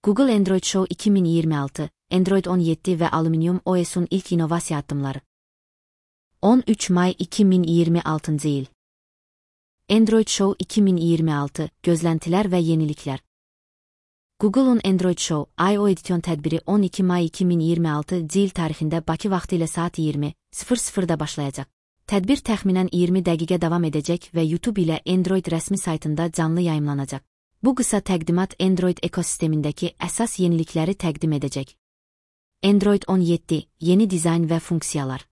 Google Android Show 2026, Android 17 ve Aluminium OS'un ilk inovasiya addımları. 13 May 2026 yıl. Android Show 2026, gözlentilər və yeniliklər. Google'un Android Show, I/O Edition tədbiri 12 May 2026 yıl tarixində Bakı vaxtı ilə saat 20:00-da başlayacaq. Tədbir təxminən 20 dəqiqə davam edəcək və YouTube ilə Android rəsmi saytında canlı yayımlanacaq. Bu qısa təqdimat Android ekosistemindəki əsas yenilikləri təqdim edəcək. Android 17, yeni dizayn və funksiyalar.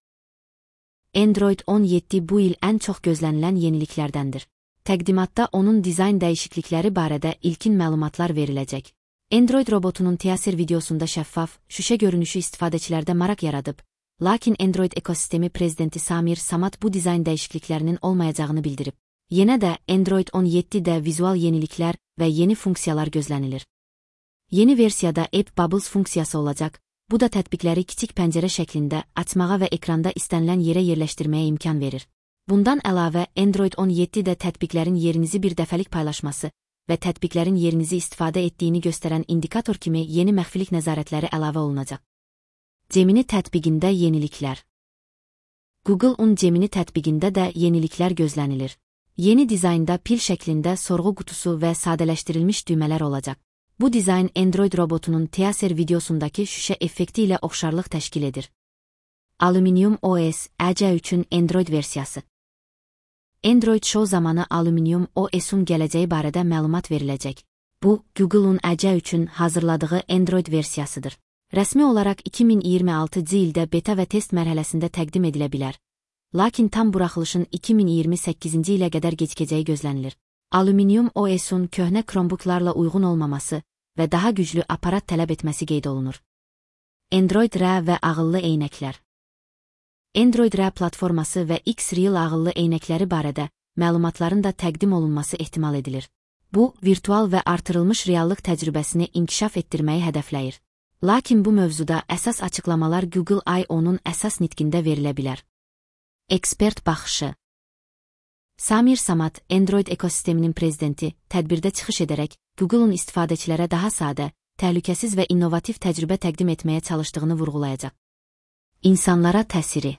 Android 17 bu il ən çox gözlənilən yeniliklərdəndir. Təqdimatda onun dizayn dəyişiklikləri barədə ilkin məlumatlar veriləcək. Android robotunun teaser videosunda şəffaf, şüşə görünüşü istifadəçilərdə maraq yaradıb, lakin Android ekosistemi prezidenti Samir Samad bu dizayn dəyişikliklərinin olmayacağını bildirib. Yenə də Android 17-də vizual yeniliklər və yeni funksiyalar gözlənilir. Yeni versiyada App Bubbles funksiyası olacaq, bu da tətbiqləri kiçik pəncərə şəklində açmağa və ekranda istənilən yerə yerləşdirməyə imkan verir. Bundan əlavə, Android 17-də tətbiqlərin yerinizi bir dəfəlik paylaşması və tətbiqlərin yerinizi istifadə etdiyini göstərən indikator kimi yeni məxfilik nəzarətləri əlavə olunacaq. Gemini tətbiqində yeniliklər. Google'un Gemini tətbiqində də yeniliklər gözlənilir. Yeni dizaynda pil şəklində sorğu qutusu və sadələşdirilmiş düymələr olacaq. Bu dizayn Android robotunun teaser videosundakı şüşə effekti ilə oxşarlıq təşkil edir. Aluminium OS, EC3-ün Android versiyası. Android Show zamanı Aluminium OS-un gələcəyi barədə məlumat veriləcək. Bu, Google'un EC3-ün hazırladığı Android versiyasıdır. Rəsmi olaraq 2026 ildə beta və test mərhələsində təqdim edilə bilər. Lakin tam buraxılışın 2028-ci ilə qədər gecikəcəyi gözlənilir. Aluminium OS-un köhnə Chromebooklarla uyğun olmaması və daha güclü aparat tələb etməsi qeyd olunur. Android R və ağıllı eynəklər. Android R platforması və X-Real ağıllı eynəkləri barədə məlumatların da təqdim olunması ehtimal edilir. Bu, virtual və artırılmış reallıq təcrübəsini inkişaf etdirməyi hədəfləyir. Lakin bu mövzuda əsas açıqlamalar Google I/O'nun əsas nitqində verilə bilər. Ekspert baxışı. Samir Samad, Android ekosisteminin prezidenti, tədbirdə çıxış edərək, Google'un istifadəçilərə daha sadə, təhlükəsiz və innovativ təcrübə təqdim etməyə çalışdığını vurğulayacaq. İnsanlara təsiri.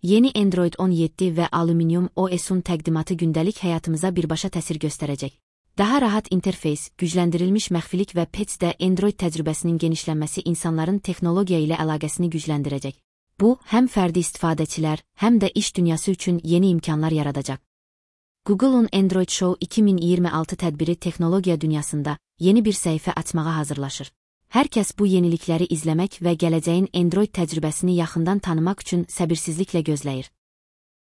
Yeni Android 17 və Aluminium OS-un təqdimatı gündəlik həyatımıza birbaşa təsir göstərəcək. Daha rahat interfeys, gücləndirilmiş məxfilik və patch-də Android təcrübəsinin genişlənməsi insanların texnologiya ilə əlaqəsini gücləndirəcək. Bu, həm fərdi istifadəçilər, həm də iş dünyası üçün yeni imkanlar yaradacaq. Google'un Android Show 2026 tədbiri texnologiya dünyasında yeni bir səhifə açmağa hazırlaşır. Hər kəs bu yenilikləri izləmək və gələcəyin Android təcrübəsini yaxından tanımaq üçün səbirsizliklə gözləyir.